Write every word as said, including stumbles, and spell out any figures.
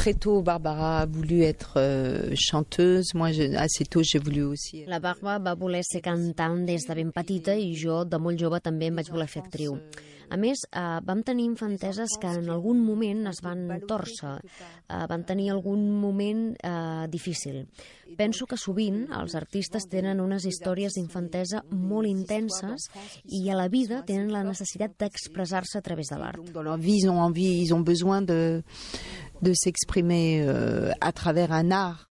très tôt, Barbara a voulu être euh, chanteuse. Moi, je, assez tôt, j'ai voulu aussi. La Barbara va voler ser cantant des de ben petita i jo, de molt jove, també em vaig voler fer actriu. A més, eh, vam tenir infanteses que en algun moment es van tòrcer, eh, van tenir algun moment eh, difícil. Penso que sovint els artistes tenen unes històries d'infantesa molt intenses i a la vida tenen la necessitat d'expressar-se a través de l'art. Dans leur vie, ils ont envie, ils ont besoin de, de s'exprimer euh, à travers un art.